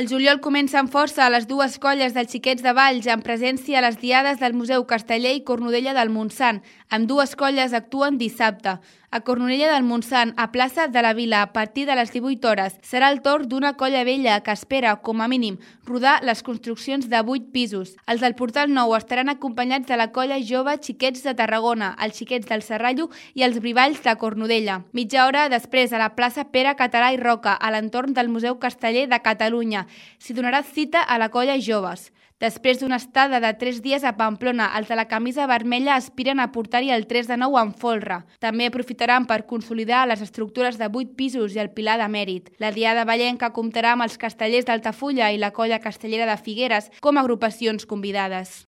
El juliol comença amb força a les dues colles dels Xiquets de Valls, en presència a les diades del Museu Casteller i Cornudella del Montsant. Amb dues colles actuen dissabte. A Cornudella del Montsant, a plaça de la Vila, a partir de les 18 hores, serà el torn d'una colla vella que espera, com a mínim, rodar les construccions de 8 pisos. Els del Portal Nou estaran acompanyats de la colla jove Xiquets de Tarragona, els Xiquets del Serrallo i els Brivalls de Cornudella. Mitja hora després, a la plaça Pere Català i Roca, a l'entorn del Museu Casteller de Catalunya, s'hi donarà cita a la colla joves. Després d'una estada de 3 dies a Pamplona, els de la camisa vermella aspiren a portar-hi el 3 de 9 en folre. També aprofitaran per consolidar les estructures de 8 pisos i el pilar de mèrit. La diada vallenca comptarà amb els castellers d'Altafulla i la colla castellera de Figueres com a agrupacions convidades.